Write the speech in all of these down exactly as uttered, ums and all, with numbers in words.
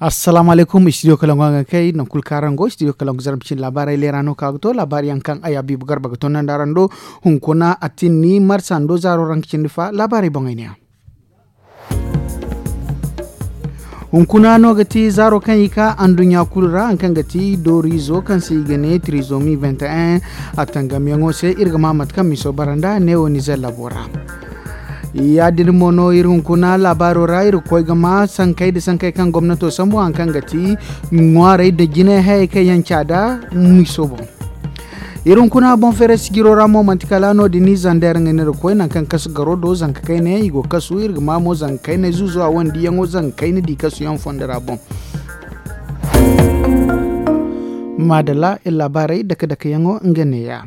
Assalaamu alaykum, istidiyo kalangu a ga kay nangu kulu kaŋ araŋ go istidiyo kalangu zarma cindi laabaarey leera no ka ga to laabaari yaŋ kaŋ ay habiibu garba ga tondandi araŋ do. Hunkuna atinni marsa ndo zaaro ranka cindi fa laabaarey boŋey ne yaŋ. Hunkuna no ga ti zaaro kaŋ i ka anduɲɲa kulu ra hari kaŋ ga ti dooriizo kaŋ se i ga ne tirizomi venti en. A tangamyaŋo se iri ga ma mate kaŋ miso bara nd'a neewo nizer labo ra. Ya- din mo no iri hunkuna laabaaro ra iri ga koy ga ma sankey nda sankey kaŋ gomnato sambu hari kaŋ ga ti ŋwaarey nda jinay hayey kaŋ yaŋ caada miso boŋ. Iri hunkuna boŋ feeray sijiro ra mo manti kala no- din zander nga ne iri ga koy nangu kaŋ kasu garo do zanka kayna yaŋ i go ga kasu iri ga ma mo zanka kayna zuuzo a wane diyaŋo zanka kayna di kasu yaŋ fondo ra boŋ. Maadalla iri laabaarey dake dake yaŋo nga neeya.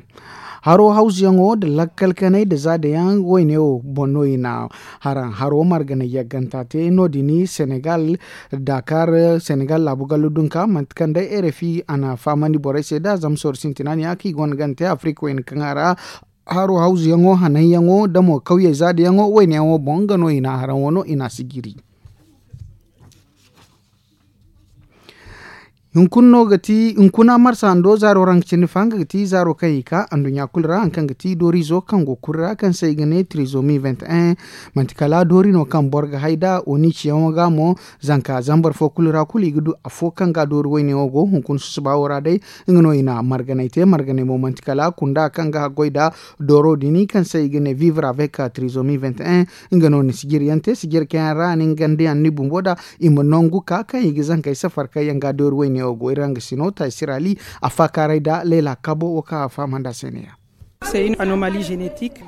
Haro hawzuyaŋo nda lakkal kanay nda zaadayaŋ wayne wo boŋ no i na haraŋ haro margana yagganta te no- din senegal dakar senegal laabu gallo dunka manti kaŋ day rfi a na fahamandi borey se nd'a zama sorro sintina ne ya kaŋ i gonda gana te afirika wayne kaŋ a ra haro hawzuyaŋo hananyaŋo nda mo kawyey zaadayaŋo wayne yaŋo boŋ nga no i na haraŋ wano i na a sijiri. Hunkuna no ga ti hunkuna marsa ndo zaaro ra nga cindi fa nga ga ti zaaro kaŋ i ka anduɲɲa kulu ra hari kaŋ ga ti dooriizo kaŋ go kulu ra kaŋ se i ga ne tirizomi venti en. Manti kala doori no kaŋ boro ga hay nd'a oniciyaŋo ga mo zanka zambar fo kulu ra kulu i ga du afo kaŋ ga doori wayne wo go hunkuna susuba wo ra day. Nga no i na marganay te marganay mo manti kala kunda kaŋ ga haggoy nd'a dooro din kaŋ se i ga ne vivre avec tirizomi venti en. Nga no na sijiri yaŋ te sijiri kaŋ yaŋ ra a na nga nda yaŋ ni bumbo nd'a i ma nangu ka kaŋ i ga zankey safar kaŋ yaŋ ga doori wayne wo go iri hangasino taysirali a faakaaray nda layla kabo wo kaŋ a fahamandi a se ne-ya.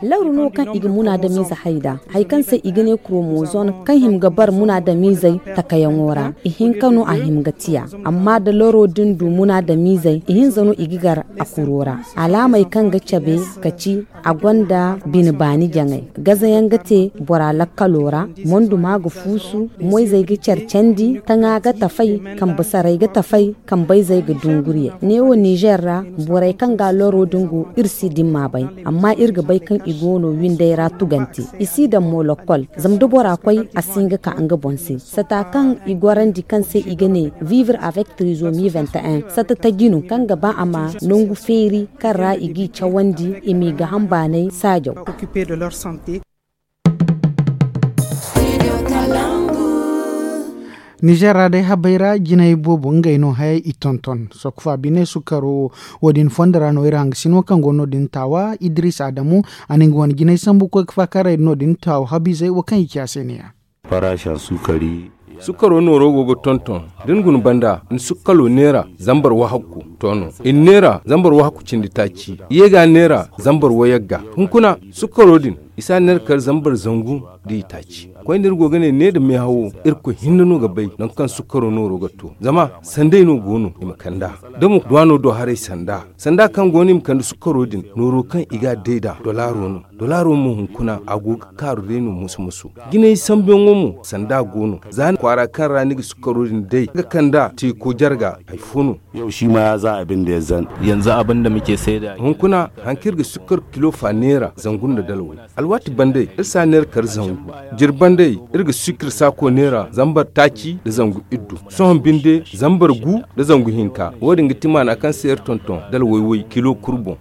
Lawru no kaŋ i ga munaadamiize hay nd'a hari kaŋ se i ga ne kuromozon kaŋ hima ga bar munaadamiizey takayaŋo ra. Ihinka no a hima ga tiya amma da laro din du munaadamiizey ihinza no i ga gar a kuro ra. Alaamey kaŋ ga cabe ka ci a gonda bine baani jaŋay. Gaza yaŋ ga te bora lakkalo ra. Monduma ga fuusu moyzey ga care candi taŋa ga tafay kambe saray ga tafay kambayzey ga dungurye. Neewo nizer ra borey kaŋ ga loro din go iri si dimma bay. Amma iri ga bay kaŋ i go no windey ra tugante i si daŋ mo lokkol. Zama da bora koy a si hin ga ka nga boŋ se sata kaŋ i gorandi kaŋ se i ga ne vivre avec trisomi vingt et un sata taji no kaŋ ga ba a ma nangu feeri kaŋ ra i g'i cawandi i m'i ga hambaanay saajaw. Nizer ra day habey ra jinay boobo ngey no hayey i tonton sokku fa bine sukkaro wo wo- din fondo ra no iri hangasino kaŋ go no- din taawa idris adamu a na nga wane jinay sambu koy ga faakaaray no- din taawa habiizey wo kaŋ i ci a se ne-ya. Sukkaro nooro go ga tonton da ni guna banda ni sukkalo neera zambar wahakku to no i na neera zambar wahakku cindi taaci i ye ga neera zambar wayagga. Hunkuna sukkaro din i si a neera kar zambar zangu da i taaci. Koyne iri go ga ne ne nda meehawo irkoy hinne no ga bay nangu kaŋ sukkaro nooro ga to zama sanday no go no i ma kand'a da mo duwano do haray sanda sanda kaŋ go no i ma kande sukkaro din nooro kaŋ i ga a day nd'a dolaaro no. Dolaaro mo hunkuna a go ga kaaru day no musu musu. Jinay sambuyaŋo mo sanda go no za ni kwaara kaŋ ra ni ga sukkaro din day ga kand'a teeko jarga hari fo no. Hunkuna hari kaŋ iri ga sukkar kilo fa neera zangu nda dalway alwaati banda iri si a neera kar zangu. Jiri banda iri ga sukkar saako neera zambar taaci nda zangu iddu sohõ binde zambar gu nda zangu hinka wo- din ga ti maana kaŋ se iri tonton dalway way kilo kulu boŋ.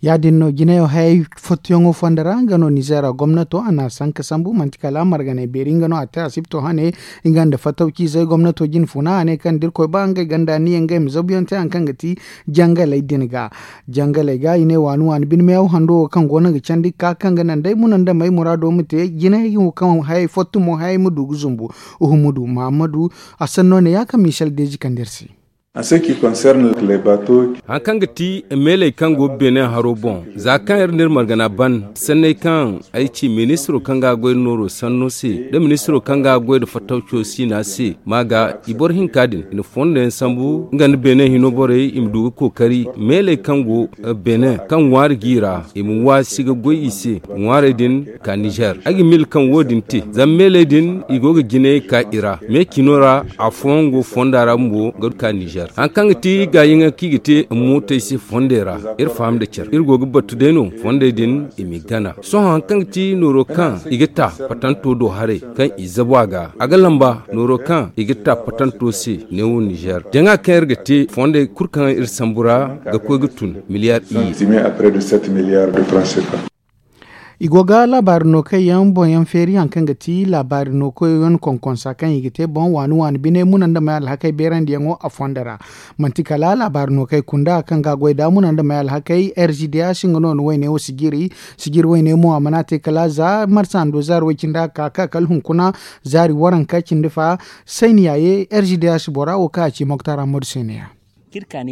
Ya- din no jinayo hayey fottuyaŋo fondo ra nga no nizer gomnato a na a sanka sambu manti kala marganay beeri nga no a te asibto hane nga nda fattawciizey gomnato jine funa a ne kaŋ da irkoy ba ngey ganda niya ngey ma zabuyaŋ te hari kaŋ ga ti jangaley din ga. Jangaley ga i ne waani waani bine meehaw hando wo kaŋ go no ga candi ga ka kaŋ ga naŋ day muna nda may muraado ma te jinay wo kaŋ hayey fottu mo hayey ma du ga zumbu. Uhumudu mahammadu a sanno ne ya kaŋ michel deezi kande iri se. Hari kaŋ ga ti meeley kaŋ go beene haro boŋ za kaŋ iri na iri margana ban sanney kaŋ ay ci ministiro kaŋ ga a goy nda nooro sanno se nda ministiro kaŋ ga a goy nda fattawco siina se ma ga i boro hinka din i na fondo yaŋ sambu nga nda beene hino borey i ma du ga kookari meeley kaŋ go beene kaŋ ŋwaari g'i ra i ma waasi ga goy i se ŋwaarey din ka nizer ay ga miila kaŋ wo- din te zama meeley din i go ga jinay ka i ra me cino ra afooyaŋ go fonda ra bumbo ga du ka nizer. Hari kaŋ ga ti gaayaŋ kaŋ i ga te mootey se fondey ra, iri faham nda care iri go ga battu day no fondey din i m'i gana. Sohõ hari kaŋ ga ti nooro kaŋ i ga ta patanto do haray kaŋ i zabu a ga, a ga lamba nooro kaŋ i ga ta patanto se neewo nizer jaŋa kaŋ iri ga te fondey kulu kaŋ iri sambu ra ga koy ga tun miliyar iyye. I go ga laabaari nookey yaŋ boŋ yaŋ feeri hari kaŋ ga ti laabaari nookey yaŋ konkonsa kaŋ i ga te boŋ waani waani bine muna nda may alhakey beerandiyaŋo a fondo ra. Manti kala laabaari nookey kunda kaŋ ga a goy da muna nda may alhakey r g d h nga no ni wayne wo sijiri. Sijiri wayne mo a mana te kala za marsa hando zaari way cindi a ka ka kala hunkuna zaari waranka cindi fa. Sayniya ye r g d h bora wo kaŋ a ci moktar ammadu sayniya. Kaŋ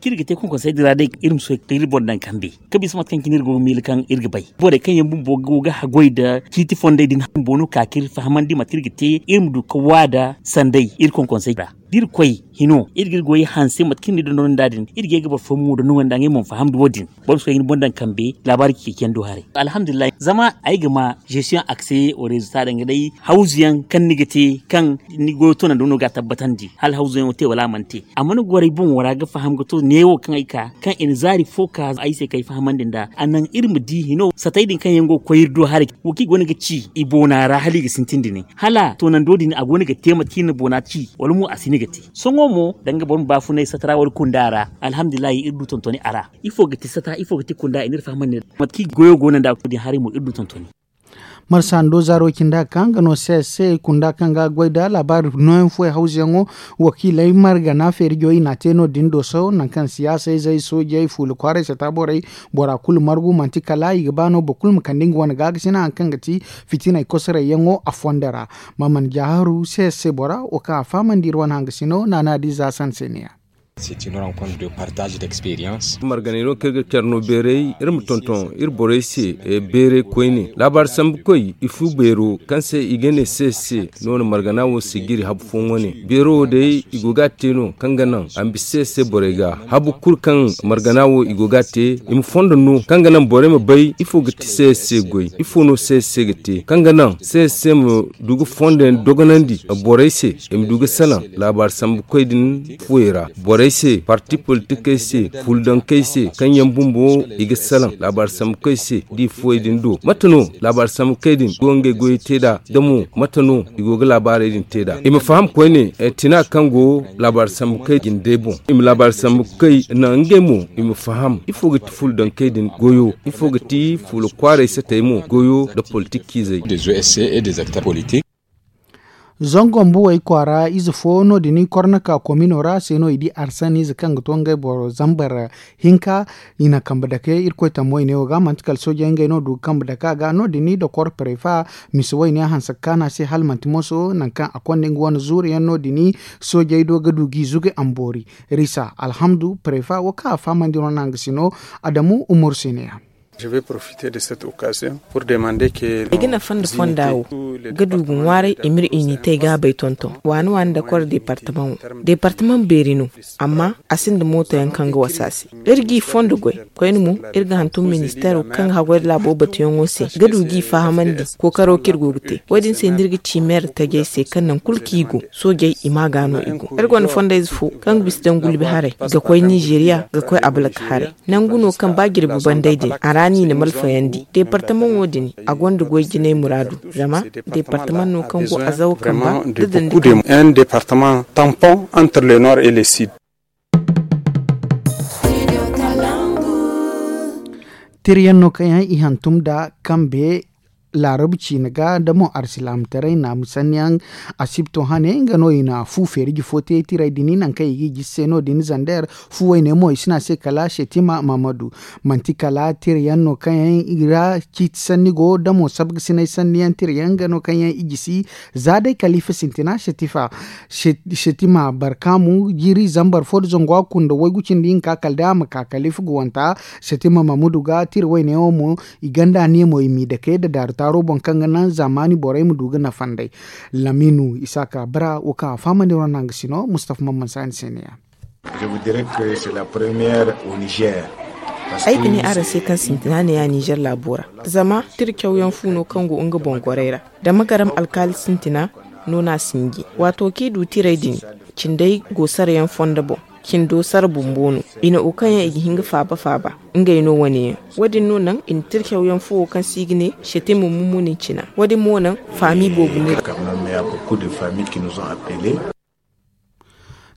iri ga te konkonsa iri ra day iri ma soy iri boro daŋ kambe kaŋ bisa mate kaŋ cine iri go ga miila kaŋ iri ga bay borey kaŋ yaŋ bumbo go ga haggoy nda ciiti fondey din bumbo no ka kaŋ iri fahamandi mate kaŋ iri ga te iri ma du ga waada sanday iri konkonsa iri ra. Da iri koy hino iri ga iri goyey hanse mate kaŋ iri na iri dondonandi nd'a din iri ga ye ga boro fooyaŋ mo dondonandi nd'a ngey mo ma fahamandi wo- din. Boro ma soy ga ni boŋ daŋ kambe laabaari ci kay ciyandi wo haray alhamdulillahi zama ay ga ma zesiyoŋ akse wo reezo ta danga day hawzu yaŋ kaŋ ni ga te kaŋ ni goyo toonandi wo no ga a tabbatandi hala hawzu yaŋo te wala a mana te. Amma ni gorey boŋo ra ga faham ga to neewo kaŋ ay ka kaŋ i na zaari fo ka ay se kaŋ ay fahamandi nd'a a naŋ iri ma di hino satey din kaŋ yaŋ go ga koy iri do haray wo kaŋ i go no ga ci i boona ra hala i ga sintin da ne hala toonando din a go no ga te mate kaŋ iri na boona ci wala mo a si no ga te. Sohõ mo danga boro ma baafunay sata ra wala kunda ra alhamdulillahi iri du tontoni a ra. Ifo ga ti sata ifo ga ti kunda i n'iri fahamandi mate kaŋ goyo go no nd'a din haray mo iri du tontoni. Marsa hando zaaro cindi a ka nga no c s c kunda kaŋ ga goy nda laabaari nooyaŋ fooyaŋ hawzuyaŋo wakiiley margana feerijo i n'a te no- din dooso nangu kaŋ siyaasayzey soojey fuula kwaaray sata borey bora kulu margu manti kala i ga ba no boro kulu ma kande nga wane gaakasina hari kaŋ ga ti fitiney kosorayyaŋo a fondo ra. Maman jaaharu c s c bora wo kaŋ a fahamandi iri wane hangasino naana di za sanseeniya. Marganey no kaŋ iri ga care no beeray iri ma tonton iri borey se beeray koyne laabaari sambukoy i fu beero kaŋ se i ga ne se se no na margana wo se g'iri habu fooyaŋ wane beero wo day i go ga a te no kaŋ ga naŋ a ma bisa se se borey ga habu kulu kaŋ margana wo i go ga a te i ma fondo no kaŋ ga naŋ borey ma bay ifo ga ti se se goy ifo no se se ga te kaŋ ga naŋ se se ma du ga fondo yaŋ dogonandi borey se i ma du ga salaŋ laabaari sambu koy din fuwey ra borey se parti politikey se fuldankey se kaŋ yaŋ bumbo i ga salaŋ laabaari sambu koy se da i fuwey din do mate no laabaari sambu koy din go ngey goyey te nd'a da mo mate no i go ga laabaarey din te nd'a i ma faham koyne tina kaŋ go laabaari sambu koy jindey boŋ i ma laabaari sambu koy naŋ ngey mo i ma faham ifo ga ti fuldankey din goyo ifo ga ti fuula kwaaray satey mo goyo nda politik ciizey. Zango mbuwey kwaara ize fo no- din i korna ka komino ra se no i di arsan ize kaŋ ga to ngey boro zambar hinka i na kambe dake irkoy tammo i ne wo ga manti kala soojey ngey no du ga kambe dake a ga no- din i dokor prefa misa wayne hanse ga kaanu a se hala manti moso nangu kaŋ a konda nga wane zuuru yaŋ no- din i soojey do ga du g'i zugu a ma boori. Risa alhamdu prefa wo kaŋ a fahamandi no naŋ ga si no adamu umur se ne ya. Ay ga nafa nda fonda wo ga du ga ŋwaaray i m'iri unitey gaabey tonton waani waani nda koro departamaŋ wo departamaŋ beeri no. Amma a sinda mooto yaŋ kaŋ ga wasa se iri g'i fondo goy koyne mo iri ga hantum ministeero kaŋ ga haggoy nda laabo batuyaŋo se ga du g'i fahamandi kookaro kaŋ iri go ga te. Wo-din se no iri ga ci meer tajey se kaŋ nangu kulu kaŋ i go soojey i ma ga no i go iri gonda fondayze fo kaŋ ga bisa daŋ gulbi haray ga koy nizeriya ga koy abalak haray. Nangu no kaŋ ba jirbi banday din a ra no i na malfayandi departamaŋo din a gonda goy jinay muraadu zama departamaŋ no kaŋ go azawa kamba da dandi kamba. Un departamaŋ tampon entre le nord et le sud. Tirayaŋ no kaŋ yaŋ i hantum nda kambe laarabu ciine ga nda mo arsilaamataray naamu sanniyaŋ asibto hane nga no i na fu feeriji fo te tiray din nangu kaŋ i g'i gisi se no- din zander fu wayne mo i si ne a se kala setima mahamadu. Manti kala tirayaŋ no kaŋ yaŋ i ra ciiti sanni go nda mo sabgasinay sanniyaŋ tirayaŋ nga no kaŋ yaŋ i gisi za day kalifa sintina setifa setima barkaamu jiiri zambar fo nda zangu a kunda waygu cindi hinka kala day a ma ka kalifa ga wanta. Setima mahamudu ga tira wayne wo mo i ganda ne mo i m'i dake nda daaru taaro boŋ kaŋ ga naŋ zaamaani borey ma du ga nafa nd'ey. Laminu isaaka bara wo kaŋ a fahamandi ronda nga si no mustafa mamman saani se ne ya. Ay ga ne araŋ se kaŋ sintina ne ya nizer laabo ra zama tira cawyaŋ fu no kaŋ go nga boŋ gorey ra da magaram alkaali sintina. No no a sinji waato kaŋ i du tirey din, cindey go sara yaŋ fondo boŋ. Cindo sara bumbo no. I na wo kaŋ yaŋ i ga hin ga faaba faaba, ngey no wane yaŋ. Wo- din no naŋ i na tircaw yaŋ fo wo kaŋ se i ga ne, setemu mummunin cina. Wo- din mo naŋ faami boobo no.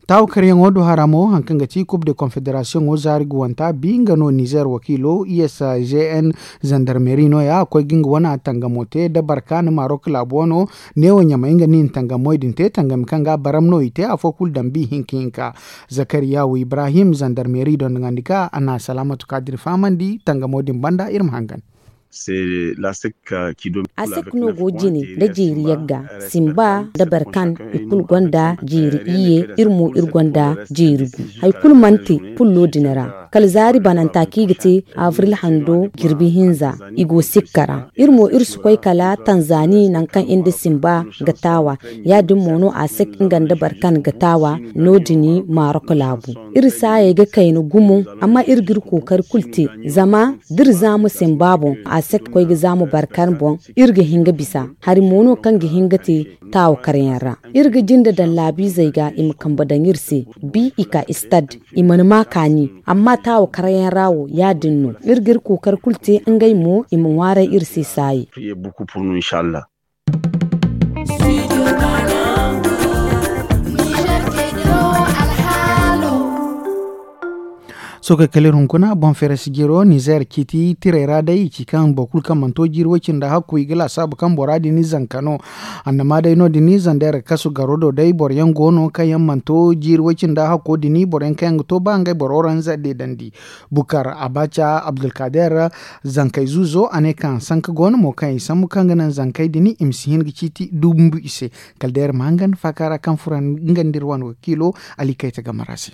Taawo karyaŋo do hara mo hari kaŋ ga ti kub de konfederasiyoŋo zaari guwanta bi nga no nizer wakiilo i s g n zandarmeri no- ya a koy ga nga wane tangamo te da barkaana marok laabu wano. Neewo ɲamay nga no i na tangamoy din te tangami kaŋ ga baram no i te afo kulu daŋ bi hinka hinka. Zakariya wo ibrahim zandarmeri dondoŋandi ka a na salaamatu kaadir fahamandi tangamo din banda iri ma hangan. Asek no go jine nda jeeri yagga, simba nda barkan, i kulu gonda jeeri iyye. Iri mo iri gonda jeeri gu. Hari kulu mana te pullo din ra, kala zaari bananta kaŋ i ga te avril hando jirbi hinza. I go sikka ra. Iri mo iri si koy kala tanzani nangu kaŋ iri nda simba ga taawa. Ya- din mo no asek nga nda barkan ga taawa. No- din marok laabu. Iri saayey ga kayna gumo, amma iri ga iri kookari kulu te. Zama da iri zaamu simba boŋ, a si ga koy ga zaamu barkan boŋ. Iri ga hin ga bisa hari mo no kaŋ ga hin ga te taawa karyaŋ ra. Iri ga jinde daŋ laabiizey ga i ma kambe daŋ iri se. Bi i ka istad, i mana ma kaani. Amma taawa karyaŋ ra wo ya- din no. Iri ga iri kookari kulu te ngey mo i ma ŋwaaray iri se saayi. Sookey kala iri hunkuna boŋ feere si jiro nizer ciiti tirey ra day i ci kaŋ boro kulu kaŋ mana to jiiri way-cindi hakku i ga laasaabu kaŋ bora din zanka no. Annama day no- din zandeer kasu garo do day boro yaŋ go no kaŋ yaŋ mana to jiiri way-cindi hakko din boro yaŋ kaŋ yaŋ ga to ba ngey boro ranza deedandi. Bukar abaca abdulkader, zankey zuuzo a ne kaŋ sanka go no mo kaŋ i sambu kaŋ ga naŋ zankey din i ma si hin ga ciiti dumbu i se. Kala day iri ma hangan faaka ra kaŋ furo nga nda iri wane wakiilo ali kayta game ra se.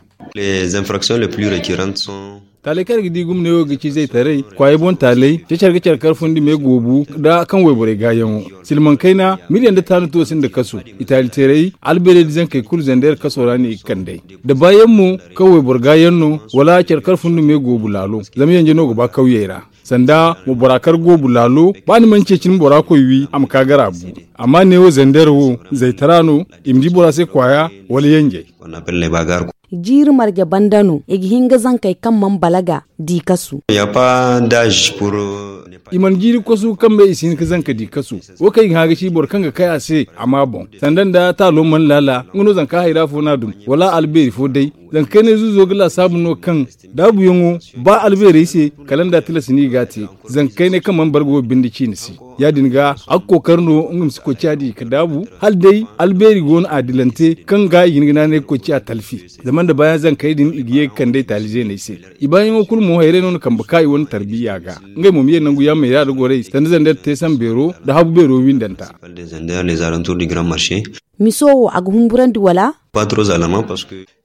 Taaley kaŋ iri ga di gumney wo ga ci zaytaray kwaayey boŋ taaley cecer ga care kar fundi me goobu nda kaŋ wayborey gaayaŋo. Silmaŋ kayna miliyaŋ nda taanu to sinda kasu. Itaaliteerey albeerey da zankey kulu zandeer kaso ra no i ga kand'ey. Da baayaŋ mo kaŋ wayboro gaayaŋ no wala care kar fundi me goobu laalo. Zama yanje no ga ba kawyey ra sanda mo bora kar goobu laalo. Ba ni mana ceeci ni bora koy wi a ma ka gara bu. Amma neewo zandeer wo zaytara no i ma di bora se kwaaya wala yanjey. Jiiri marje banda no i ga hin ga zankey kaŋ mana balaga di kasu. I mana jiiri kasu kaŋ bay i si hin ga zanka di kasu. Wo kaŋ i ga hã ga ci boro kaŋ ga kay a se a ma boŋ sanda nda taalo mana laala nga no zanka hayra fo no a dum wala albeeri fo day. Zanka kaynay zuuzo ga laasaabu no kaŋ daabuyaŋo ba albeerey se kala nda tilas no i ga a te. Zanka kaynay kaŋ mana bargo binde ciine se ya- din ga a ga kookari no nga ma si koy ciya di ga daabu hala day albeeri go no a dilante kaŋ ga i ga hin ga naanay ga koy ciya talfi. Zama nda baayaŋ zankey din i ga ye ga kand'ey taali zeeney se. I baayaŋo kulu mo hayrey no na kambe ka i wane tarbiya ga. Ngey mo ma ye nangu yaamey ra da gorey sanda zandeer te sambeero nda habu beero windanta. Miso wo a ga humburandi wala?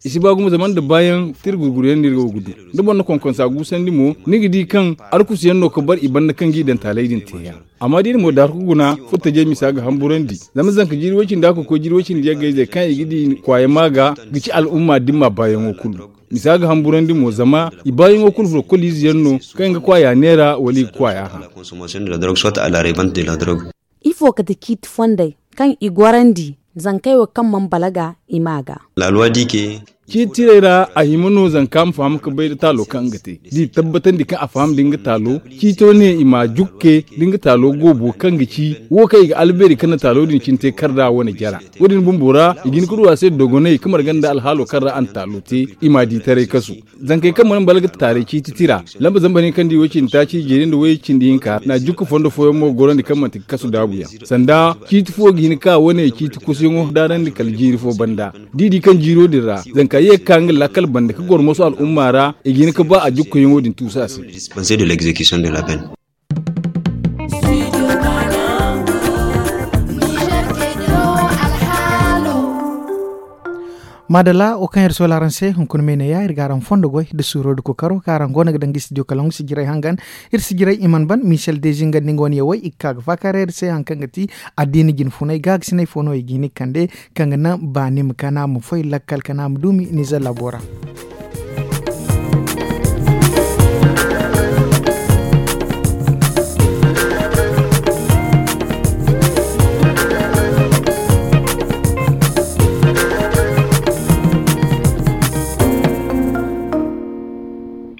I si ba gumo zama nda baayaŋ tira gurguryaŋ no iri go ga du. Da boro na konkonsa guusandi mo ni ga di kaŋ arkusuyaŋ no ga bar i banda kaŋ ga i daŋ taaley din te yaŋ. Amma da iri mo daarku guna furtajey misa ga hamburandi. Zama zanka jiiri way-cindi a ga koy jiiri way-cindi yaggayzey kaŋ i ga di kwaaya ma ga ga ci al'umma dimma baayaŋo kulu. Misa ga hamburandi mo zama i baayaŋo kulu furo koliize yaŋ no kaŋ i ga kwaaya neera wala i ga kwaaya hã. Ifo kate ciiti fondey kaŋ i gorandi zankey wo kaŋ mana balaga i ma ga? Ciiti tirey ra a hima no zanka ma faham ga bay da taalo kaŋ nga te da i tabbatandi kaŋ a faham da nga taalo. Ciito ne i ma jukke da nga taalo goobo kaŋ ga ci wo kaŋ i ga albeeri kaŋ na taalo din cine te kar da wane jara. Wo- din bumbo ra i ga hin ga du a se dogonay ga marga nda alhaalo kaŋ ra a na taalo te i ma di taray kasu. Zankey kaŋ mana balaga taaray ciiti tira lamba zambar hinka nda i way-cindi taaci jeeri nda way-cindi hinka na jukka fondo fooyaŋ mo ga gorandi kaŋ manti ga kasu daabuyaŋ. Sanda ciiti fo ga hin ga ka wane ciiti kusuyaŋo daarandi kala jiiri fo banda. Da i di kaŋ jiiro din ra zanka ye ga ka nga lakkal banda ga goro moso al'umma ra i ga hin ga ba a jukkayaŋo din tuusu a se. Maadalla wo kaŋ iri soola araŋ se hunkuna me ne ya iri ga araŋ fondo goy nda suuro nda kookaro kaŋ araŋ go no ga daŋ ga studio kalaŋ ga sijirey hangan. Iri sijirey i mana ban michel dezi nga nda nga wane yawey i ga ka ga faakaaray iri se hari kaŋ ga ti addiina jinfunay gaagasinay fo no i ga hin ga kande kaŋ ga naŋ baani ma kana ma foy lakkal kana ma duumi nizer laabo ra.